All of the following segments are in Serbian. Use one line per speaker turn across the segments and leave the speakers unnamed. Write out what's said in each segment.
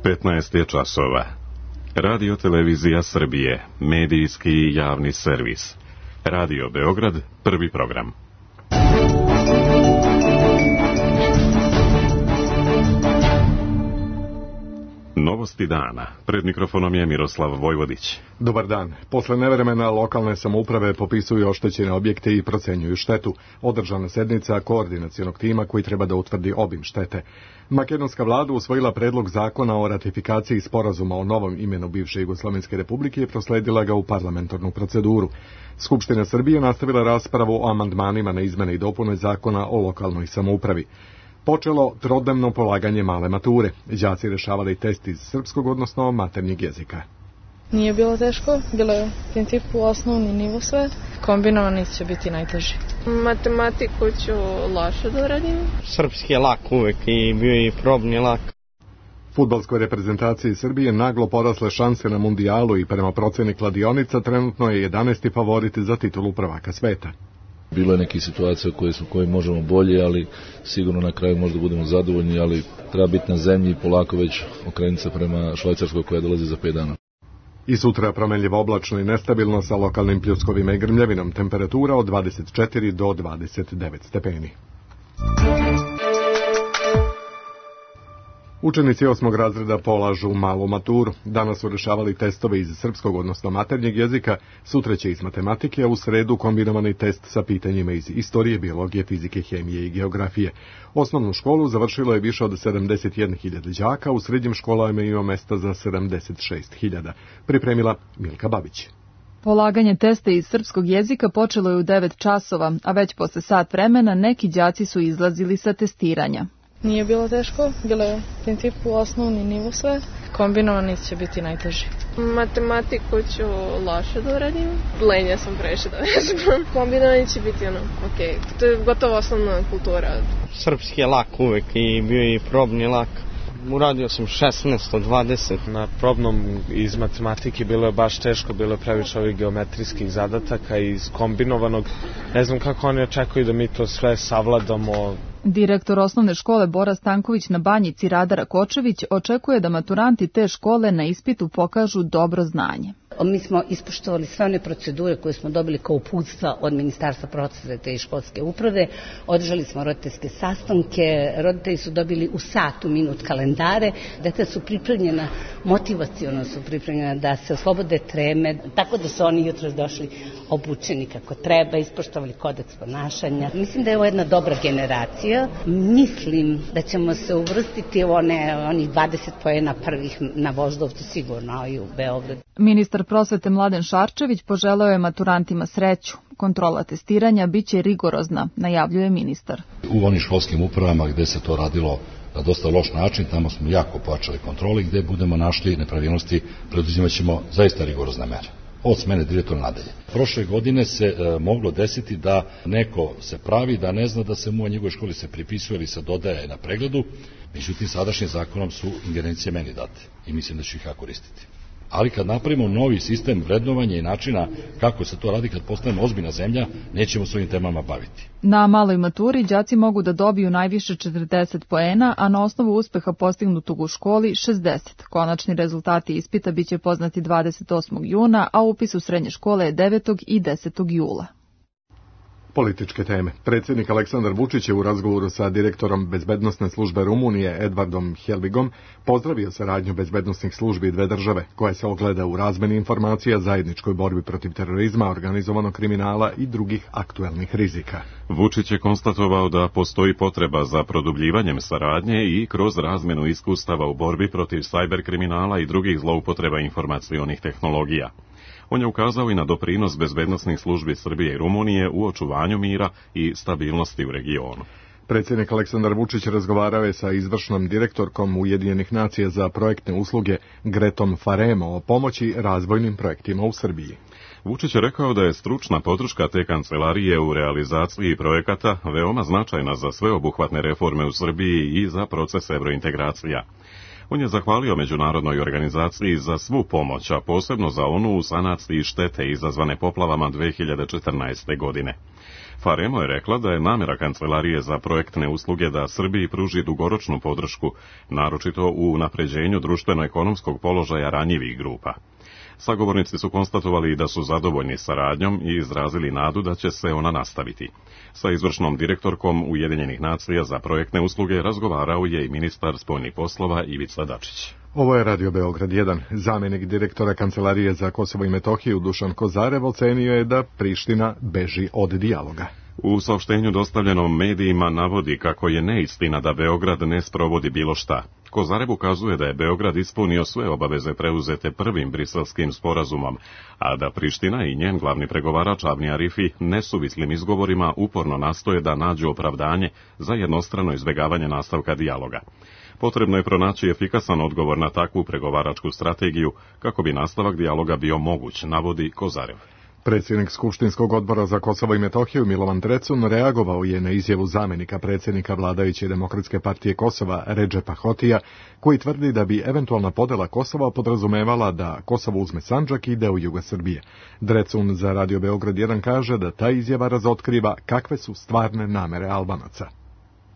15 je časova. Radio Televizija Srbije, medijski i javni servis. Radio Beograd, prvi program. Novosti dana. Pred mikrofonom je Miroslav Vojvodić.
Dobar dan. Posle nevremena lokalne samouprave popisuju oštećene objekte i procenjuju štetu. Održana sednica koordinacionog tima koji treba da utvrdi obim štete. Makedonska vlada usvojila predlog zakona o ratifikaciji sporazuma o novom imenu bivše Jugoslovenske republike i prosledila ga u parlamentarnu proceduru. Skupština Srbije nastavila raspravu o amandmanima na izmene i dopune zakona o lokalnoj samoupravi. Počelo trodnevno polaganje male mature. Đaci rešavali test iz srpskog, odnosno maternjeg jezika.
Nije bilo teško, bilo je u principu osnovni nivo sve. Kombinovani će biti najteži. Matematiku ću loše da uradim.
Srpski je lak uvek i bio je i probni lak.
Fudbalskoj reprezentaciji Srbije naglo porasle šanse na mundijalu i prema proceni kladionica trenutno je 11. favorit za titulu prvaka sveta.
Bilo je nekih situacija koje možemo bolje, ali sigurno na kraju možda budemo zadovoljni, ali treba biti na zemlji i polako već okrenuti se prema Švajcarskoj koja dolazi za 5 dana.
I sutra promenljivo oblačno i nestabilno sa lokalnim pljuskovima i grmljavinom, temperatura od 24 do 29 stepeni. Učenici 8. razreda polažu malu maturu. Danas su rešavali testove iz srpskog, odnosno maternjeg jezika, sutra će iz matematike, a u sredu kombinovani test sa pitanjima iz istorije, biologije, fizike, hemije i geografije. Osnovnu školu završilo je više od 71.000 đaka, u srednjim školama ima mesta za 76.000. Pripremila Milka Babić.
Polaganje testa iz srpskog jezika počelo je u 9 časova, a već posle sat vremena neki đaci su izlazili sa testiranja.
Nije bilo teško, bilo je u principu osnovni nivo sve. Kombinovani će biti najteži. Matematiku ću loše da uradim. Lenja sam previše da vežbam. Kombinovani će biti okej. To je gotovo osnovna kultura.
Srpski je lak uvek i bio je i probni lak. Uradio sam 16 od 20.
Na probnom iz matematike bilo je baš teško, bilo je previše ovih geometrijskih zadataka i iz kombinovanog. Ne znam kako oni očekuju da mi to sve savladamo.
Direktor osnovne škole Bora Stanković na Banjici Radara Kočević očekuje da maturanti te škole na ispitu pokažu dobro znanje.
Mi smo ispoštovali sve one procedure koje smo dobili kao uputstva od Ministarstva prosvete i školske uprave. Održali smo roditeljske sastanke, roditelji su dobili u satu minut kalendare, deca su pripremljena, motivaciono su pripremljena da se oslobode treme, tako da su oni jutros došli obučeni kako treba, ispoštovali kodeks ponašanja. Mislim da je ovo jedna dobra generacija. Mislim da ćemo se uvrstiti u onih 20 poena prvih na Voždovcu sigurno i u Beogradu.
Ministar prosvete Mladen Šarčević poželeo je maturantima sreću. Kontrola testiranja biće rigorozna, najavljuje ministar.
U onim školskim upravama gde se to radilo na dosta loš način, tamo smo jako pojačali kontroli, gde budemo našli nepravilnosti, preduzimat ćemo zaista rigorozne mere. Od smene direktora nadalje. Prošle godine se moglo desiti da neko se pravi da ne zna da se mu u njegovoj školi se pripisuje ili se dodaje na pregledu, međutim sadašnjim zakonom su ingerencije meni date i mislim da ću ih ja koristiti. Ali kad napravimo novi sistem vrednovanja i načina kako se to radi, kad postanemo ozbiljna zemlja, nećemo s ovim temama baviti.
Na maloj maturi đaci mogu da dobiju najviše 40 poena, a na osnovu uspeha postignutog u školi 60. Konačni rezultati ispita biće poznati 28. juna, a upis u srednje škole je 9. i 10. jula.
Političke teme. Predsjednik Aleksandar Vučić je u razgovoru sa direktorom bezbednosne službe Rumunije Edvardom Helvigom pozdravio saradnju bezbednosnih službi dve države, koja se ogleda u razmeni informacija, zajedničkoj borbi protiv terorizma, organizovanog kriminala i drugih aktuelnih rizika.
Vučić je konstatovao da postoji potreba za produbljivanjem saradnje i kroz razmenu iskustava u borbi protiv sajber kriminala i drugih zloupotreba informacionih tehnologija. On je ukazao i na doprinos bezbednosnih službi Srbije i Rumunije u očuvanju mira i stabilnosti u regionu.
Predsjednik Aleksandar Vučić razgovarao je sa izvršnom direktorkom Ujedinjenih nacija za projektne usluge Gretom Faremo o pomoći razvojnim projektima u Srbiji.
Vučić je rekao da je stručna podrška te kancelarije u realizaciji projekata veoma značajna za sveobuhvatne reforme u Srbiji i za proces evrointegracija. On je zahvalio međunarodnoj organizaciji za svu pomoć, a posebno za onu u sanaciji štete izazvane poplavama 2014. godine. Faremo je rekla da je namjera Kancelarije za projektne usluge da Srbiji pruži dugoročnu podršku, naročito u unapređenju društveno-ekonomskog položaja ranjivih grupa. Sagovornici su konstatovali da su zadovoljni saradnjom i izrazili nadu da će se ona nastaviti. Sa izvršnom direktorkom Ujedinjenih nacija za projektne usluge razgovarao je i ministar spoljnih poslova Ivica Dačić.
Ovo je Radio Beograd 1. Zamjenik direktora Kancelarije za Kosovo i Metohiju Dušan Kozarev ocenio je da Priština beži od dijaloga.
U saopštenju dostavljenom medijima navodi kako je neistina da Beograd ne sprovodi bilo šta. Kozarev ukazuje da je Beograd ispunio sve obaveze preuzete prvim briselskim sporazumom, a da Priština i njen glavni pregovarač Avni Arifi nesuvislim izgovorima uporno nastoje da nađu opravdanje za jednostrano izbjegavanje nastavka dijaloga. Potrebno je pronaći efikasan odgovor na takvu pregovaračku strategiju kako bi nastavak dijaloga bio moguć, navodi Kozarev.
Predsjednik Skupštinskog odbora za Kosovo i Metohiju Milovan Drecun reagovao je na izjavu zamjenika predsjednika vladajuće Demokratske partije Kosova Redžepa Hotija, koji tvrdi da bi eventualna podjela Kosova podrazumevala da Kosovo uzme Sandžak i deo juga Srbije. Drecun za Radio Beograd 1 kaže da ta izjava razotkriva kakve su stvarne namere Albanaca.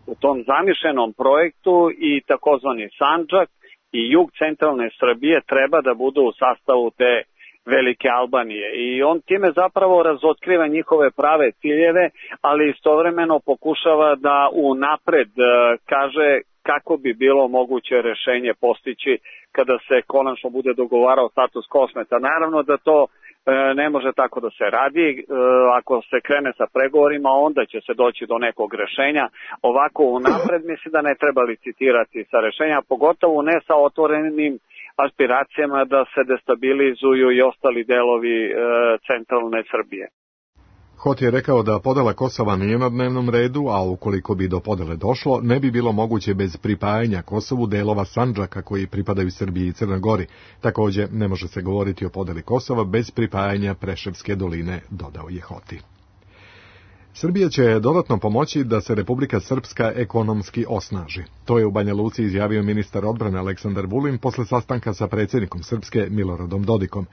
U tom zamišljenom projektu i takozvani Sandžak i jug centralne Srbije treba da budu u sastavu te Velike Albanije i on time zapravo razotkriva njihove prave ciljeve, ali istovremeno pokušava da unapred kaže kako bi bilo moguće rešenje postići kada se konačno bude dogovarao status Kosmeta. Naravno da to ne može tako da se radi, ako se krene sa pregovorima onda će se doći do nekog rešenja, ovako unapred mislim da ne treba licitirati sa rešenja, pogotovo ne sa otvorenim aspiracijama da se destabilizuju i ostali delovi centralne Srbije.
Hot je rekao da podela Kosova nije na dnevnom redu, a ukoliko bi do podele došlo, ne bi bilo moguće bez pripajanja Kosovu delova Sandžaka koji pripadaju Srbiji i Crnoj Gori. Također, ne može se govoriti o podeli Kosova bez pripajanja Preševske doline, dodao je Hoti. Srbija će dodatno pomoći da se Republika Srpska ekonomski osnaži. To je u Banja Luci izjavio ministar odbrane Aleksandar Vulin posle sastanka sa predsjednikom Srpske Miloradom Dodikom.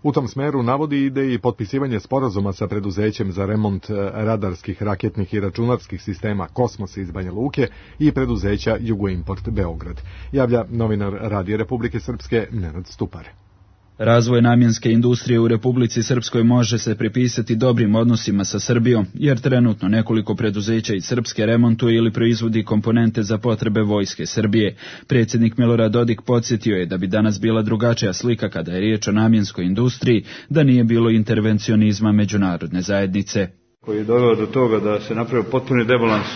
U tom smeru navodi ide i potpisivanje sporazuma sa preduzećem za remont radarskih, raketnih i računarskih sistema Kosmos iz Banja Luke i preduzeća Jugoimport Beograd. Javlja novinar Radija Republike Srpske Nenad Stupar.
Razvoj namjenske industrije u Republici Srpskoj može se pripisati dobrim odnosima sa Srbijom, jer trenutno nekoliko preduzeća iz Srpske remontuje ili proizvodi komponente za potrebe vojske Srbije. Predsjednik Milorad Dodik podsjetio je da bi danas bila drugačija slika kada je riječ o namjenskoj industriji, da nije bilo intervencionizma međunarodne zajednice.
Koji je doveo do toga da se napravio potpuni debalans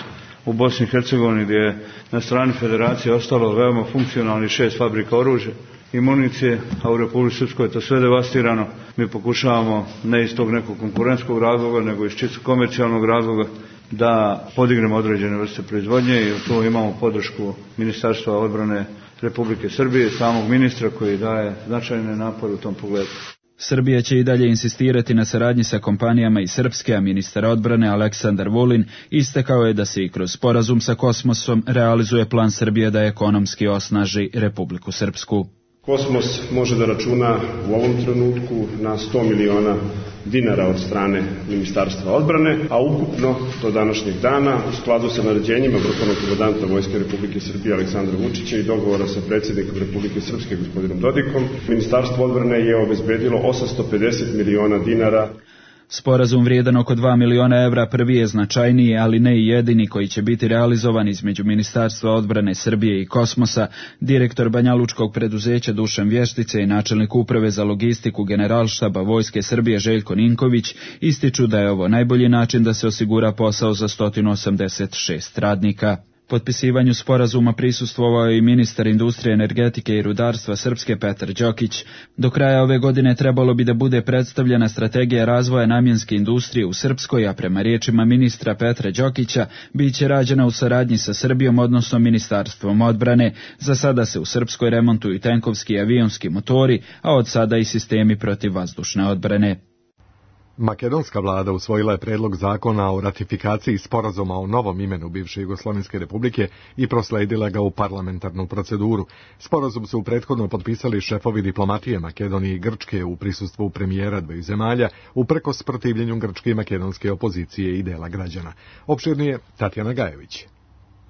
u Bosni i Hercegovini, gdje je na strani federacije ostalo veoma funkcionalni 6 fabrika oružja i municije, a u Republici Srpskoj je to sve devastirano. Mi pokušavamo ne iz tog nekog konkurentskog razloga, nego iz čisto komercijalnog razloga da podignemo određene vrste proizvodnje i tu imamo podršku Ministarstva odbrane Republike Srbije, samog ministra koji daje značajne napore u tom pogledu.
Srbija će i dalje insistirati na saradnji sa kompanijama iz Srpske, a ministar odbrane Aleksandar Vulin istakao je da se i kroz sporazum sa Kosmosom realizuje plan Srbije da ekonomski osnaži Republiku Srpsku.
Kosmos može da računa u ovom trenutku na 100 miliona dinara od strane Ministarstva odbrane, a ukupno do današnjeg dana u skladu sa naređenjima vrhovnog komandanta Vojske Republike Srbije Aleksandra Vučića i dogovora sa predsjednikom Republike Srpske gospodinom Dodikom, Ministarstvo odbrane je obezbedilo 850 miliona dinara.
Sporazum vrijedan oko 2 miliona evra prvi je značajniji, ali ne i jedini koji će biti realizovan između Ministarstva odbrane Srbije i Kosmosa. Direktor banjalučkog preduzeća Dušan Vještice i načelnik uprave za logistiku Generalštaba Vojske Srbije Željko Ninković ističu da je ovo najbolji način da se osigura posao za 186 radnika. Potpisivanju sporazuma prisustvovao je i ministar industrije, energetike i rudarstva Srpske Petar Đokić. Do kraja ove godine trebalo bi da bude predstavljena strategija razvoja namjenske industrije u Srpskoj, a prema riječima ministra Petra Đokića bit će rađena u saradnji sa Srbijom, odnosno Ministarstvom odbrane. Za sada se u Srpskoj remontuju tenkovski i avionski motori, a od sada i sistemi protivvazdušne odbrane.
Makedonska vlada usvojila je predlog zakona o ratifikaciji sporazuma o novom imenu bivše Jugoslovenske republike i prosledila ga u parlamentarnu proceduru. Sporazum su prethodno potpisali šefovi diplomatije Makedonije i Grčke u prisustvu premijera dveju zemalja, uprkos protivljenju grčke i makedonske opozicije i dela građana. Opširnije Tatjana Gajević.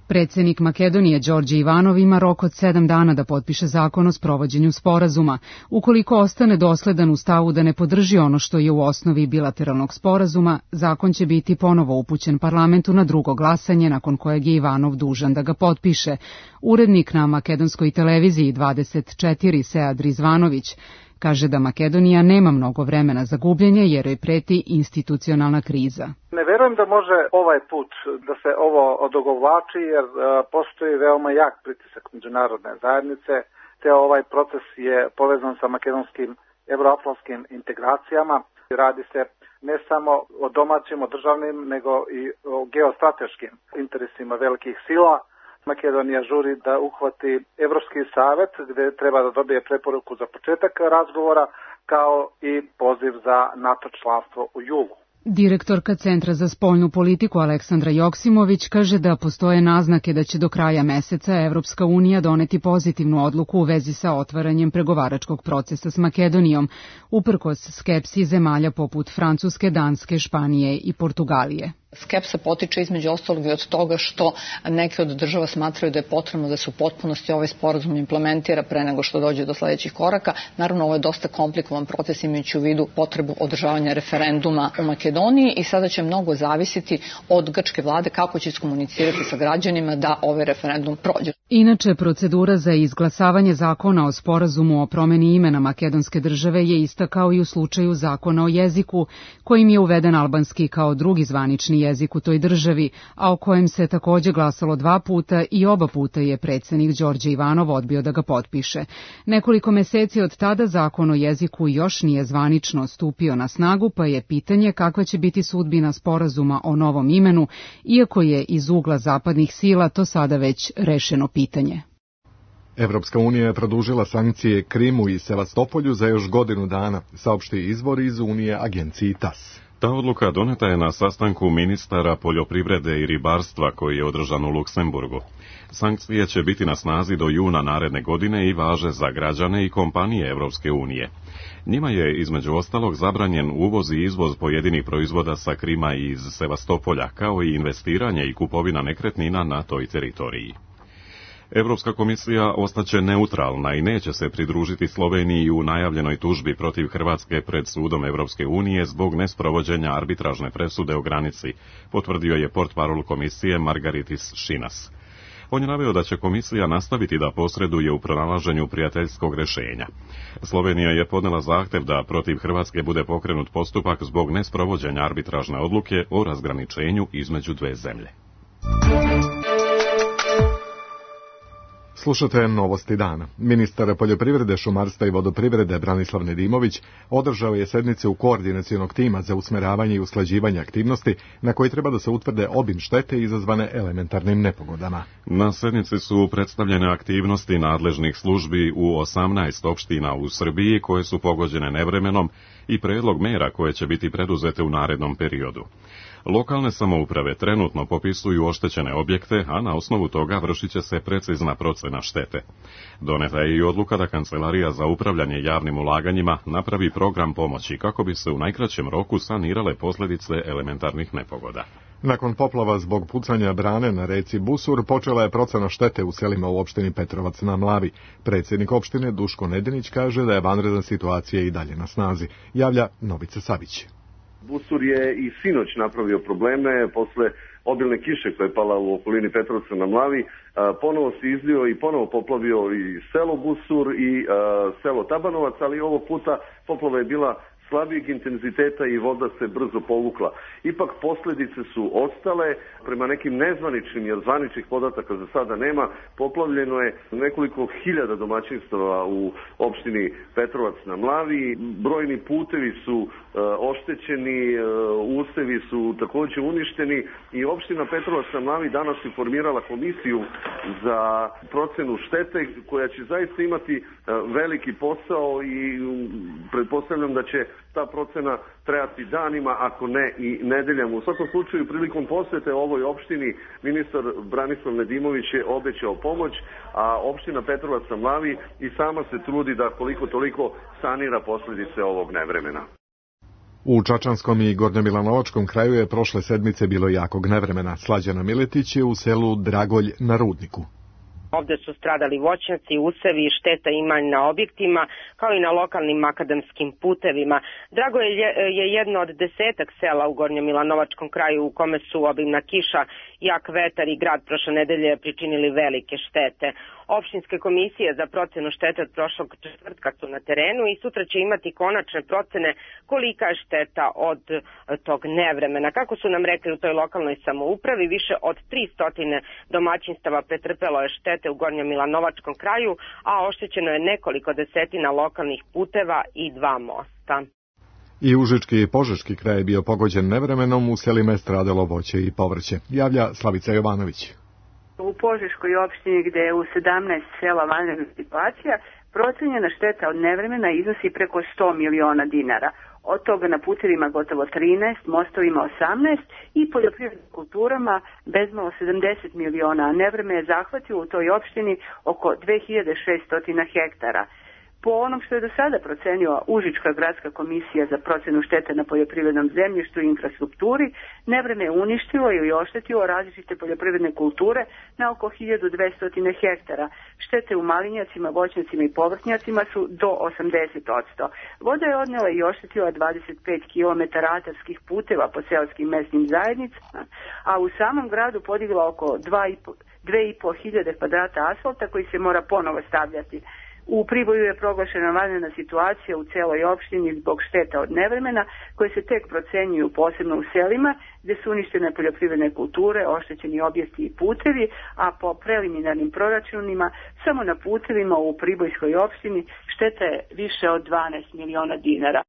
Predsjednik Makedonije Đorđe Ivanov ima rok od 7 dana da potpiše zakon o sprovođenju sporazuma. Ukoliko ostane dosledan u stavu da ne podrži ono što je u osnovi bilateralnog sporazuma, zakon će biti ponovo upućen parlamentu na drugo glasanje, nakon kojeg je Ivanov dužan da ga potpiše. Urednik na makedonskoj televiziji 24 Sead Rizvanović kaže da Makedonija nema mnogo vremena za gubljenje jer joj preti institucionalna kriza.
Ne verujem da može ovaj put da se ovo odogovlači jer postoji veoma jak pritisak međunarodne zajednice, te ovaj proces je povezan sa makedonskim evroatlantskim integracijama. Radi se ne samo o domaćim, o državnim, nego i o geostrateškim interesima velikih sila. Makedonija žuri da uhvati Evropski savet gdje treba da dobije preporuku za početak razgovora kao i poziv za NATO članstvo u julu.
Direktorka Centra za spoljnu politiku Aleksandra Joksimović kaže da postoje naznake da će do kraja meseca Evropska unija doneti pozitivnu odluku u vezi sa otvaranjem pregovaračkog procesa s Makedonijom, uprkos skepsi zemalja poput Francuske, Danske, Španije i Portugalije.
Skepsa potiče između ostalog i od toga što neke od država smatraju da je potrebno da se u potpunosti ovaj sporazum implementira pre nego što dođe do sledećih koraka. Naravno, ovo je dosta komplikovan proces imajući u vidu potrebu održavanja referenduma u Makedoniji i sada će mnogo zavisiti od grčke vlade kako će iskomunicirati sa građanima da ovaj referendum prođe.
Inače, procedura za izglasavanje zakona o sporazumu o promeni imena makedonske države je ista kao i u slučaju zakona o jeziku, kojim je uveden albanski kao drugi zvanični jezik u toj državi, a o kojem se takođe glasalo 2 puta i oba puta je predsjednik Đorđe Ivanov odbio da ga potpiše. Nekoliko meseci od tada zakon o jeziku još nije zvanično stupio na snagu, pa je pitanje kakva će biti sudbina sporazuma o novom imenu, iako je iz ugla zapadnih sila to sada već rešeno pitanje.
Evropska unija je produžila sankcije Krimu i Sevastopolju za još godinu dana, saopšti izvor iz Unije agenciji TAS.
Ta odluka doneta je na sastanku ministara poljoprivrede i ribarstva koji je održan u Luksemburgu. Sankcije će biti na snazi do juna naredne godine i važe za građane i kompanije Evropske unije. Njima je između ostalog zabranjen uvoz i izvoz pojedinih proizvoda sa Krima i iz Sevastopolja, kao i investiranje i kupovina nekretnina na toj teritoriji. Evropska komisija ostaće neutralna i neće se pridružiti Sloveniji u najavljenoj tužbi protiv Hrvatske pred sudom Evropske unije zbog nesprovođenja arbitražne presude o granici, potvrdio je portparol komisije Margaritis Šinas. On je naveo da će komisija nastaviti da posreduje u pronalaženju prijateljskog rešenja. Slovenija je podnela zahtev da protiv Hrvatske bude pokrenut postupak zbog nesprovođenja arbitražne odluke o razgraničenju između dve zemlje.
Slušate novosti dana. Ministar poljoprivrede, šumarstva i vodoprivrede Branislav Nedimović održao je sednice u koordinacionog tima za usmeravanje i usklađivanje aktivnosti na koji treba da se utvrde obim štete izazvane elementarnim nepogodama.
Na sednici su predstavljene aktivnosti nadležnih službi u 18 opština u Srbiji koje su pogođene nevremenom i predlog mera koje će biti preduzete u narednom periodu. Lokalne samouprave trenutno popisuju oštećene objekte, a na osnovu toga vršit će se precizna procena štete. Doneta je i odluka da Kancelarija za upravljanje javnim ulaganjima napravi program pomoći kako bi se u najkraćem roku sanirale posljedice elementarnih nepogoda.
Nakon poplava zbog pucanja brane na reci Busur počela je procena štete u selima u opštini Petrovac na Mlavi. Predsjednik opštine Duško Nedinić kaže da je vanredna situacija i dalje na snazi. Javlja Novica Savić.
Busur je i sinoć napravio probleme posle obilne kiše koja je pala u okolini Petrovca na Mlavi. Ponovo se izlio i ponovo poplavio i selo Busur i selo Tabanovac, ali ovog puta poplava je bila slabijeg intenziteta i voda se brzo povukla. Ipak posljedice su ostale, prema nekim nezvaničnim, jer zvaničnih podataka za sada nema, poplavljeno je nekoliko hiljada domaćinstava u opštini Petrovac na Mlavi, brojni putevi su oštećeni, usevi su također uništeni i opština Petrovac na Mlavi danas je formirala komisiju za procenu štete koja će zaista imati veliki posao i pretpostavljam da će ta procena trajati danima, ako ne i nedeljama. U svakom slučaju, prilikom posete ovoj opštini, ministar Branislav Nedimović je obećao pomoć, a opština Petrovac na Mlavi i sama se trudi da koliko toliko sanira posljedice ovog nevremena.
U Čačanskom i Gornjomilanovačkom kraju je prošle sedmice bilo jakog nevremena. Slađana Miletić je u selu Dragolj na Rudniku.
Ovde su stradali voćnjaci, usevi i šteta ima na objektima, kao i na lokalnim makadamskim putevima. Dragolj je jedno od 10 sela u Gornjomilanovačkom kraju u kome su obimna kiša, jak vetar i grad prošle nedelje pričinili velike štete. Opštinske komisije za procenu štete od prošlog četvrtka su na terenu i sutra će imati konačne procene kolika je šteta od tog nevremena. Kako su nam rekli u toj lokalnoj samoupravi, više od 300 domaćinstava pretrpelo je štete u Gornjomilanovačkom kraju, a oštećeno je nekoliko desetina lokalnih puteva i 2 mosta.
I Užički i Požeški kraj je bio pogođen nevremenom, u selima je stradalo voće i povrće. Javlja Slavica Jovanović.
U Požeškoj opštini, gde je u 17 sela vanredna situacija, procenjena šteta od nevremena iznosi preko 100 miliona dinara. Od toga na putevima gotovo 13, mostovima 18 i poljoprivrednim kulturama bezmalo 70 miliona, a nevreme je zahvatilo u toj opštini oko 2600 hektara. Po onom što je do sada procenila Užička gradska komisija za procenu štete na poljoprivrednom zemljištu i infrastrukturi, nevreme je uništilo ili oštetilo različite poljoprivredne kulture na oko 1200 hektara. Štete u malinjacima, voćnjacima i povrtnjacima su do 80%. Voda je odnela i oštetila 25 km atarskih puteva po seoskim mesnim zajednicama, a u samom gradu podigla oko 2500 kvadrata asfalta koji se mora ponovo stavljati. U Priboju je proglašena vanredna situacija u celoj opštini zbog šteta od nevremena koje se tek procenjuju posebno u selima gde su uništene poljoprivredne kulture, oštećeni objekti i putevi, a po preliminarnim proračunima samo na putevima u Pribojskoj opštini šteta je više od 12 miliona dinara.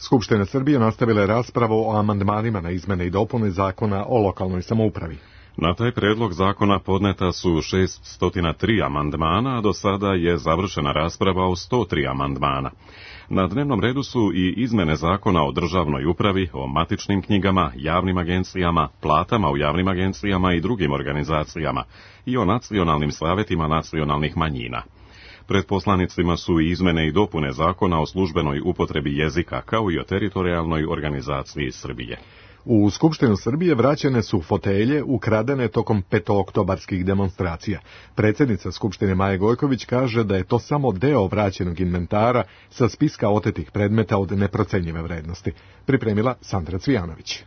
Skupština Srbije nastavila je raspravu o amandmanima na izmene i dopune zakona o lokalnoj samoupravi.
Na taj predlog zakona podneta su 603 amandmana, a do sada je završena rasprava o 103 amandmana. Na dnevnom redu su i izmene zakona o državnoj upravi, o matičnim knjigama, javnim agencijama, platama u javnim agencijama i drugim organizacijama i o nacionalnim savetima nacionalnih manjina. Pred poslanicima su i izmene i dopune zakona o službenoj upotrebi jezika, kao i o teritorijalnoj organizaciji Srbije.
U Skupštinu Srbije vraćene su fotelje ukradene tokom petooktobarskih demonstracija. Predsjednica Skupštine Maja Gojković kaže da je to samo deo vraćenog inventara sa spiska otetih predmeta od neprocenjive vrednosti. Pripremila Sandra Cvijanović.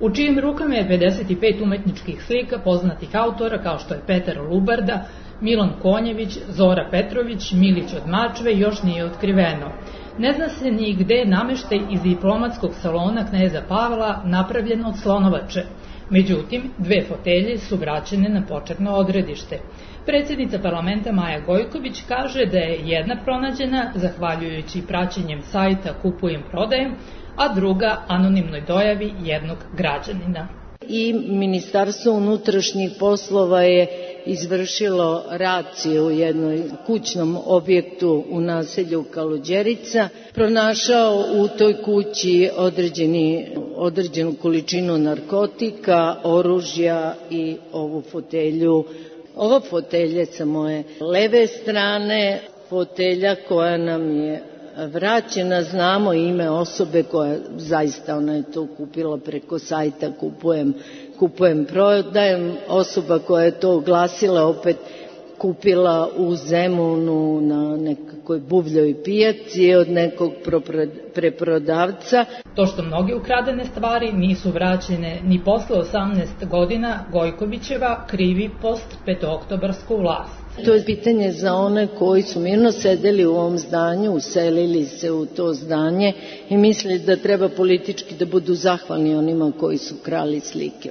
U čijim rukama je 55 umetničkih slika poznatih autora kao što je Petar Lubarda, Milan Konjević, Zora Petrović, Milić od Mačve još nije otkriveno. Ne zna se ni gde je nameštaj iz diplomatskog salona kneza Pavla napravljen od slonovače. Međutim, 2 fotelje su vraćene na početno odredište. Predsjednica parlamenta Maja Gojković kaže da je jedna pronađena zahvaljujući praćenjem sajta Kupujem prodajem, a druga anonimnoj dojavi jednog građanina.
I Ministarstvo unutrašnjih poslova je izvršilo raciju u jednom kućnom objektu u naselju Kaluđerica, pronašao u toj kući određenu količinu narkotika, oružja i ovu fotelju. Ova fotelja sa moje leve strane, fotelja koja nam je vraćena, znamo ime osobe koja zaista ona je to kupila preko sajta Kupujem prodajem, osoba koja je to oglasila opet kupila u Zemunu na nekakvoj buvljoj pijaci od nekog preprodavca.
To što mnoge ukradene stvari nisu vraćene ni posle 18 godina, Gojkovićeva krivi post petooktobarsku vlast.
To je pitanje za one koji su mirno sedeli u ovom zdanju, uselili se u to zdanje i mislili da treba politički da budu zahvalni onima koji su krali slike.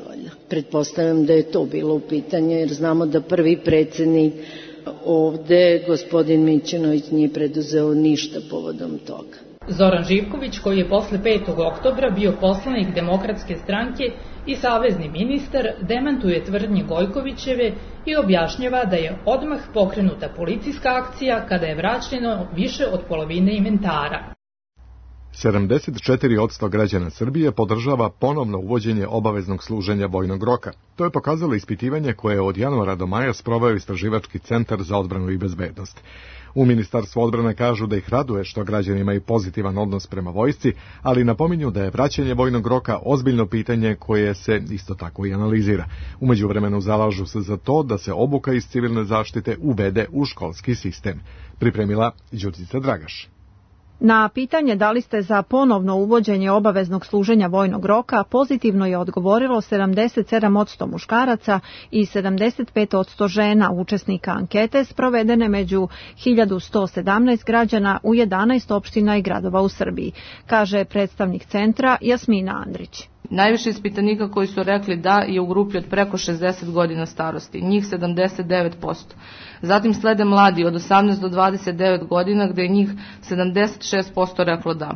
Pretpostavljam da je to bilo u pitanju jer znamo da prvi predsjednik ovde, gospodin Mićunović, nije preduzeo ništa povodom toga.
Zoran Živković, koji je posle 5. oktobra bio poslanik Demokratske stranke i savezni ministar, demantuje tvrdnje Gojkovićeve i objašnjava da je odmah pokrenuta policijska akcija kada je vraćeno više od polovine inventara.
74% građana Srbije podržava ponovno uvođenje obaveznog služenja vojnog roka. To je pokazalo ispitivanje koje je od januara do maja sproveo Istraživački centar za odbranu i bezbednost. U Ministarstvu odbrane kažu da ih raduje što građani imaju pozitivan odnos prema vojsci, ali napominju da je vraćanje vojnog roka ozbiljno pitanje koje se isto tako i analizira. U međuvremenu zalažu se za to da se obuka iz civilne zaštite uvede u školski sistem. Pripremila Đurđica Dragaš.
Na pitanje da li ste za ponovno uvođenje obaveznog služenja vojnog roka pozitivno je odgovorilo 77% muškaraca i 75% žena učesnika ankete sprovedene među 1117 građana u 11 opština i gradova u Srbiji, kaže predstavnik centra Jasmina Andrić.
Najviše ispitanika koji su rekli da je u grupi od preko 60 godina starosti, njih 79%. Zatim slede mladi od 18 do 29 godina gde je njih 76% reklo da.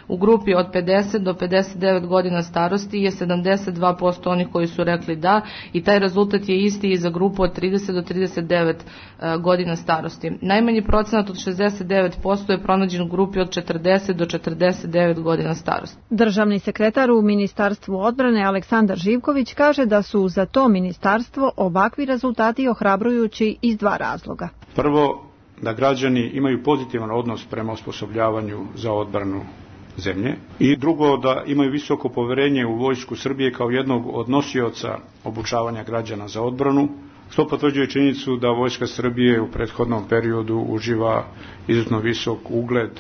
U grupi od 50 do 59 godina starosti je 72% onih koji su rekli da i taj rezultat je isti i za grupu od 30 do 39 godina starosti. Najmanji procenat od 69% je pronađen u grupi od 40 do 49 godina starosti.
Državni sekretar u Ministarstvu odbrane Aleksandar Živković kaže da su za to ministarstvo ovakvi rezultati ohrabrujući iz dva razloga.
Prvo, da građani imaju pozitivan odnos prema osposobljavanju za odbranu zemlje i drugo, da imaju visoko poverenje u Vojsku Srbije kao jednog od nosioca obučavanja građana za odbranu, što potvrđuje činjenicu da Vojska Srbije u prethodnom periodu uživa izuzetno visok ugled.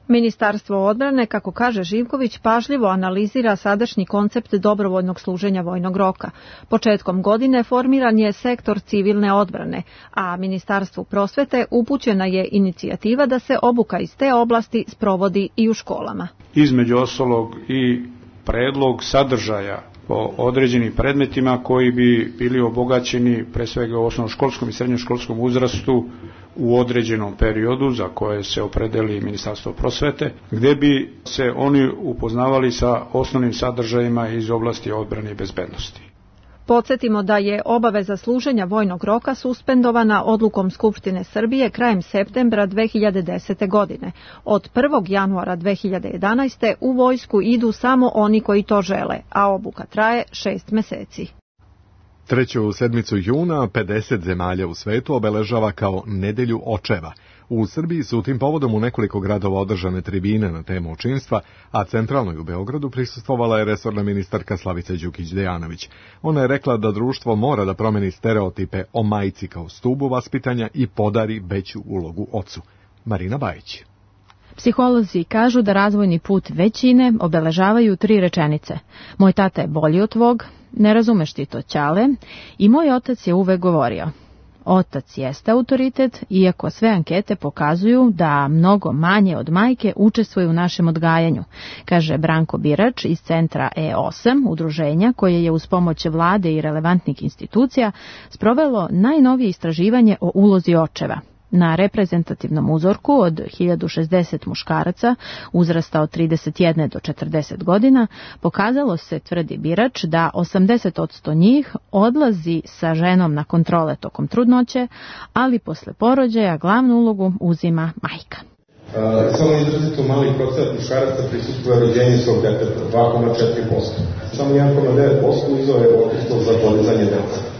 Ministarstvo odbrane, kako kaže Živković, pažljivo analizira sadašnji koncept dobrovoljnog služenja vojnog roka. Početkom godine formiran je sektor civilne odbrane, a Ministarstvu prosvete upućena je inicijativa da se obuka iz te oblasti sprovodi i u školama.
Između ostalog i predlog sadržaja po određenim predmetima koji bi bili obogaćeni pre svega u osnovnoškolskom i srednjoškolskom uzrastu u određenom periodu za koje se opredeli Ministarstvo prosvete, gde bi se oni upoznavali sa osnovnim sadržajima iz oblasti odbrane i bezbednosti.
Podsjetimo da je obaveza služenja vojnog roka suspendovana odlukom Skupštine Srbije krajem septembra 2010. godine. Od 1. januara 2011. u vojsku idu samo oni koji to žele, a obuka traje 6 meseci.
Treću sedmicu juna 50 zemalja u svetu obeležava kao Nedelju očeva. U Srbiji su tim povodom u nekoliko gradova održane tribine na temu očinstva, a centralnoj u Beogradu prisustvovala je resorna ministarka Slavica Đukić-Dejanović. Ona je rekla da društvo mora da promeni stereotipe o majci kao stubu vaspitanja i podari veću ulogu ocu. Marina Bajić.
Psiholozi kažu da razvojni put većine obeležavaju 3 rečenice. Moj tata je bolji od tvog, ne razumeš ti to, ćale, i moj otac je uvek govorio. Otac jeste autoritet, iako sve ankete pokazuju da mnogo manje od majke učestvuje u našem odgajanju, kaže Branko Birač iz centra E8, udruženja koje je uz pomoć vlade i relevantnih institucija sprovelo najnovije istraživanje o ulozi očeva. Na reprezentativnom uzorku od 1060 muškaraca uzrasta od 31 do 40 godina pokazalo se, tvrdi Birač, da 80% njih odlazi sa ženom na kontrole tokom trudnoće, ali posle porođaja glavnu ulogu uzima majka.
Samo izrazito mali procenat muškaraca prisustvuje rođenju svog deteta, 2,4%. Samo 1,9% uzeo je odsustvo za podizanje dece.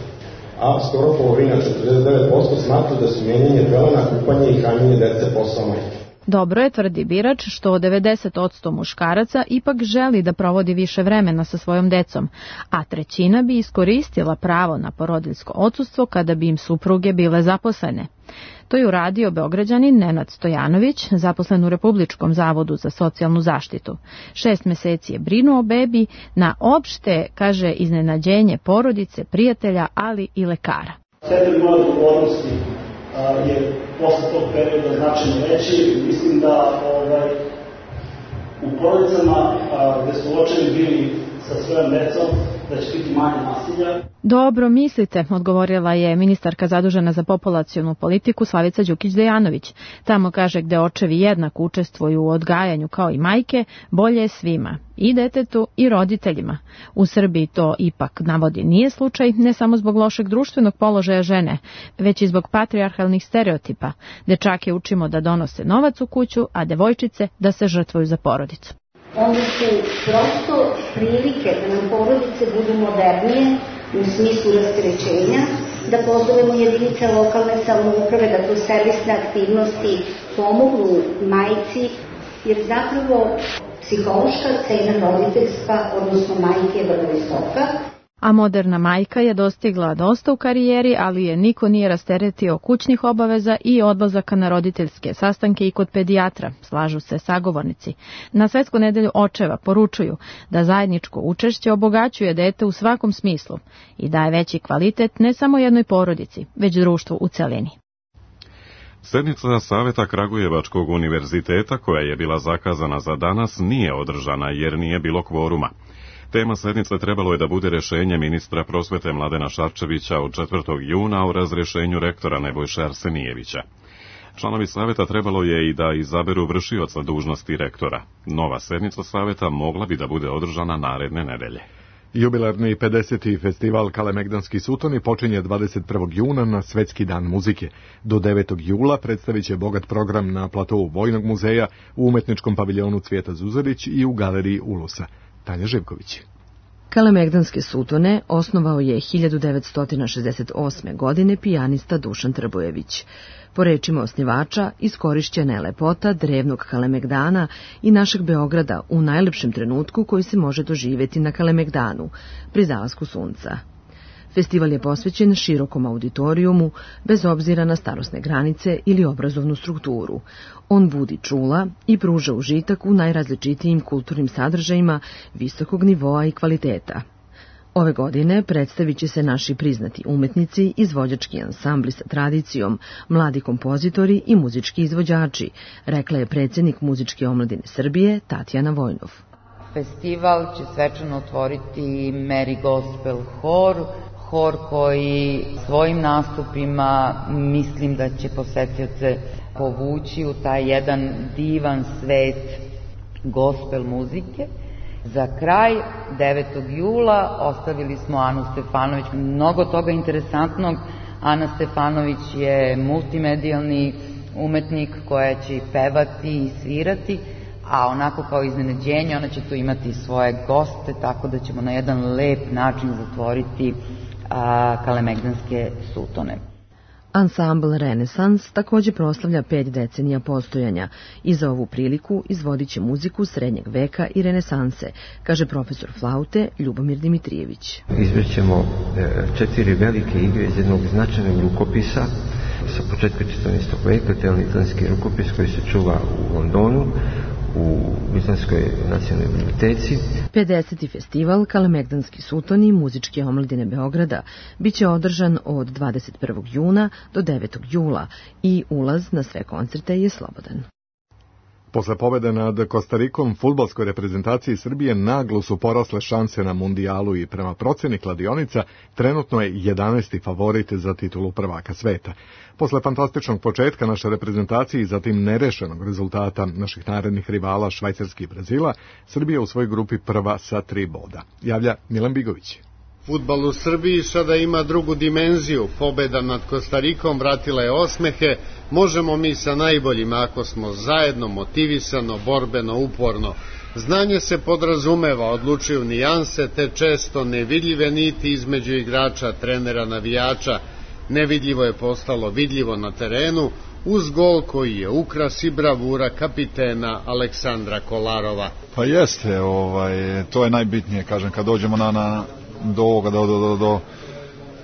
A skoro polovina, 49%, smatra da su mijenjanje pelena, kupanje i hranjenje dece posao majke.
Dobro je, tvrdi Birač, što 90% muškaraca ipak želi da provodi više vremena sa svojom decom, a 1/3 bi iskoristila pravo na porodiljsko odsustvo kada bi im supruge bile zaposlene. To je uradio Beograđanin Nenad Stojanović, zaposlen u Republičkom zavodu za socijalnu zaštitu. 6 meseci je brinuo o bebi na opšte, kaže, iznenađenje porodice, prijatelja, ali i lekara.
Stepen moje odgovornosti je posle tog perioda značajno veći. Mislim da u porodicama gde su očevi bili sa svojom decom, da će biti manje nasilja.
Dobro mislite, odgovorila je ministarka zadužena za populacionu politiku Slavica Đukić-Dejanović. Tamo kaže gde očevi jednako učestvuju u odgajanju kao i majke, bolje je svima, i detetu i roditeljima. U Srbiji to ipak, navodi, nije slučaj, ne samo zbog lošeg društvenog položaja žene, već i zbog patrijarhalnih stereotipa. Dečake učimo da donose novac u kuću, a devojčice da se žrtvuju za porodicu.
Onda su prosto prilike da nam porodice budu modernije u smislu rasterećenja, da pozovemo jedinice lokalne samouprave da kroz servisne aktivnosti pomognu majci, jer zapravo psihološka cena roditeljstva, odnosno majke, je vrlo visoka.
A moderna majka je dostigla dosta u karijeri, ali je niko nije rasteretio kućnih obaveza i odlazaka na roditeljske sastanke i kod pedijatra, slažu se sagovornici. Na Svetsku nedelju očeva poručuju da zajedničko učešće obogaćuje dete u svakom smislu i daje veći kvalitet ne samo jednoj porodici, već društvu u celini.
Sednica Saveta Kragujevačkog univerziteta, koja je bila zakazana za danas, nije održana jer nije bilo kvoruma. Tema sednice trebalo je da bude rešenje ministra prosvete Mladena Šarčevića od 4. juna o razrešenju rektora Nebojše Arsenijevića. Članovi saveta trebalo je i da izaberu vršioca dužnosti rektora. Nova sednica saveta mogla bi da bude održana naredne nedelje.
Jubilarni 50. festival Kalemegdanski sutoni počinje 21. juna na Svetski dan muzike. Do 9. jula predstavit će bogat program na platovu Vojnog muzeja, u umetničkom paviljonu Cvijeta Zuzarić i u galeriji Ulusa. Tanja Živković.
Kalemegdanske sutone osnovao je 1968. godine pijanista Dušan Trbojević. Po rečima osnivača, iskorišćena je lepota drevnog Kalemegdana i našeg Beograda u najlepšem trenutku koji se može doživjeti na Kalemegdanu, pri zalasku sunca. Festival je posvećen širokom auditorijumu, bez obzira na starosne granice ili obrazovnu strukturu. On budi čula i pruža užitak u najrazličitijim kulturnim sadržajima visokog nivoa i kvaliteta. Ove godine predstavit će se naši priznati umetnici, izvođački ansambli sa tradicijom, mladi kompozitori i muzički izvođači, rekla je predsjednik Muzičke omladine Srbije Tatjana Vojnov.
Festival će svečano otvoriti Mary Gospel hor koji svojim nastupima mislim da će posetioce povući u taj jedan divan svet gospel muzike. Za kraj, 9. jula, ostavili smo Anu Stefanović, mnogo toga interesantnog. Ana Stefanović je multimedijalni umetnik koja će pevati i svirati, a onako kao iznenađenje ona će tu imati svoje goste, tako da ćemo na jedan lep način zatvoriti Kalemegdanske sutone.
Ansambl Renesans također proslavlja 5 decenija postojanja i za ovu priliku izvodit će muziku srednjeg veka i renesanse, kaže profesor flaute Ljubomir Dimitrijević.
Izvećemo 4 velike igre iz jednog značajnog rukopisa sa početka 14. veka, Teonitanski rukopis koji se čuva u Londonu, u Britanskoj nacionalnoj biblioteci.
50. festival Kalemegdanski sutoni Muzičke omladine Beograda biće održan od 21. juna do 9. jula i ulaz na sve koncerte je slobodan.
Posle pobede nad Kostarikom, fudbalskoj reprezentaciji Srbije naglo su porasle šanse na mundijalu i prema proceni kladionica trenutno je 11. favorit za titulu prvaka sveta. Posle fantastičnog početka naše reprezentacije i zatim nerešenog rezultata naših narednih rivala Švajcarske i Brazila, Srbija u svojoj grupi prva sa 3 boda. Javlja Milan Bigović.
Fudbal u Srbiji sada ima drugu dimenziju. Pobeda nad Kostarikom vratila je osmehe. Možemo mi sa najboljima ako smo zajedno, motivisano, borbeno, uporno. Znanje se podrazumeva, odlučuju nijanse, te često nevidljive niti između igrača, trenera, navijača. Nevidljivo je postalo vidljivo na terenu, uz gol koji je ukras i bravura kapitena Aleksandra Kolarova.
Pa jeste, to je najbitnije, kažem, kad dođemo do ovoga, do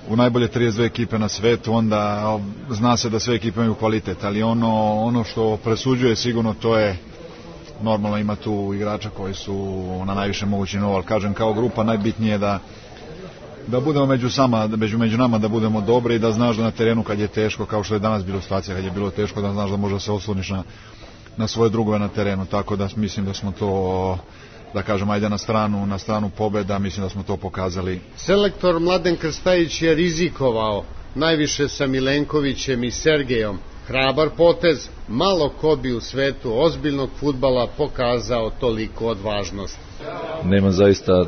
u najbolje 32 ekipe na svetu, onda zna se da sve ekipe imaju kvalitet, ali ono što presuđuje sigurno to je, normalno ima tu igrača koji su na najviše mogući nivou, ali kažem, kao grupa najbitnije je da budemo među nama, da budemo dobri i da znaš da na terenu kad je teško, kao što je danas bilo situacija, kad je bilo teško, da znaš da možda se osloniš na svoje drugove na terenu, tako da mislim da smo to da kažem, ajde na stranu pobeda, mislim da smo to pokazali.
Selektor Mladen Krstajić je rizikovao, najviše sa Milenkovićem i Sergejom. Hrabar potez, malo ko bi u svetu ozbiljnog fudbala pokazao toliko odvažnost.
Nema zaista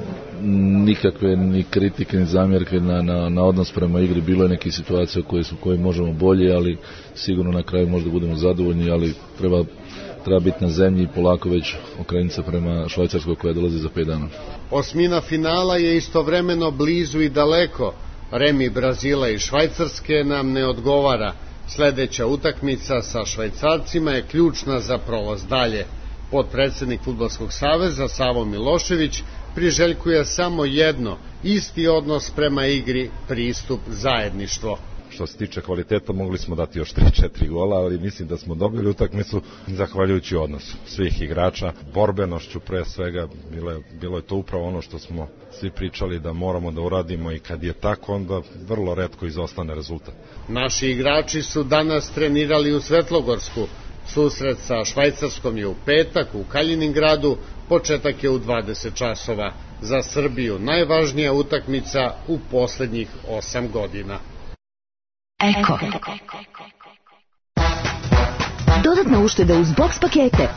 nikakve ni kritike ni zamjerke na odnos prema igri. Bilo je neke situacije koje možemo bolje, ali sigurno na kraju možda budemo zadovoljni, ali treba biti na zemlji i polako već okrenuti se prema Švajcarskoj koja dolazi za 5 dana.
Osmina finala je istovremeno blizu i daleko. Remi Brazila i Švajcarske nam ne odgovara. Sledeća utakmica sa Švajcarcima je ključna za prolaz dalje. Potpredsednik Fudbalskog saveza Savo Milošević priželjkuje samo jedno, isti odnos prema igri, pristup, zajedništvo.
Što se tiče kvaliteta, mogli smo dati još 3-4 gola, ali mislim da smo dobili utakmicu zahvaljujući odnosu svih igrača, borbenošću pre svega. Bilo je to upravo ono što smo svi pričali da moramo da uradimo i kad je tako, onda vrlo retko izostane rezultat.
Naši igrači su danas trenirali u Svetlogorsku. Susret sa Švajcarskom je u petak u Kaliningradu, početak je u 20 časova. Za Srbiju najvažnija utakmica u poslednjih 8 godina.
Eko. Dodatna ušteda uz box pakete.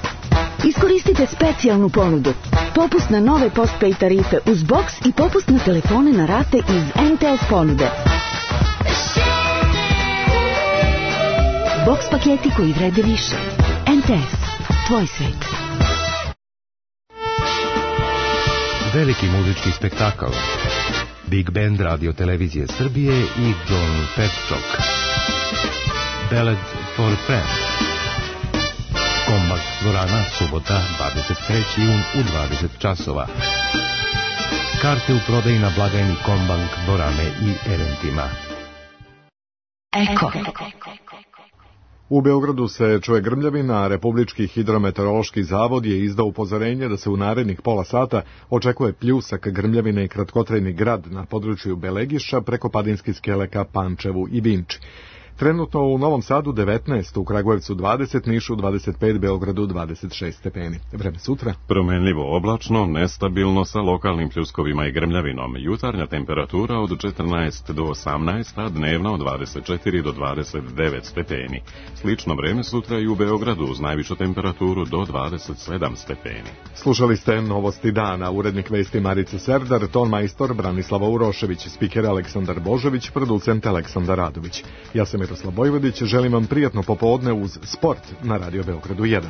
Iskoristite specijalnu ponudu. Popust na nove postpay tarife uz box i popust na telefone na rate iz MTS ponude. Box paketi koji vrede više. MTS. Tvoj svet.
Veliki muzički spektakl. Big Band Radio Televizije Srbije i John Petchok. Ballad for Friends. Kombak dvorana, subota, 23. jun u 20 časova. Karte u prodaji na blagajni Kombank dvorane i eventima.
Eko.
U Beogradu se čuje grmljavina, a Republički hidrometeorološki zavod je izdao upozorenje da se u narednih pola sata očekuje pljusak grmljavine i kratkotrajni grad na području Belegiša preko Padinskih Skele ka Pančevu i Vinči. Trenutno u Novom Sadu 19, u Kragujevcu 20, Nišu 25, Beogradu 26 stepeni. Vreme sutra.
Promenljivo oblačno, nestabilno sa lokalnim pljuskovima i grmljavinom. Jutarnja temperatura od 14 do 18, a dnevna od 24 do 29 stepeni. Slično vreme sutra i u Beogradu uz najvišu temperaturu do 27 stepeni.
Slušali ste Novosti dana, urednik vesti Marica Serdar, ton majstor Branislava Urošević, spiker Aleksandar Božović, producent Aleksandar Radović. Ja sam Miroslav Bojvodić, želim vam prijatno popodne uz sport na Radio Beogradu 1.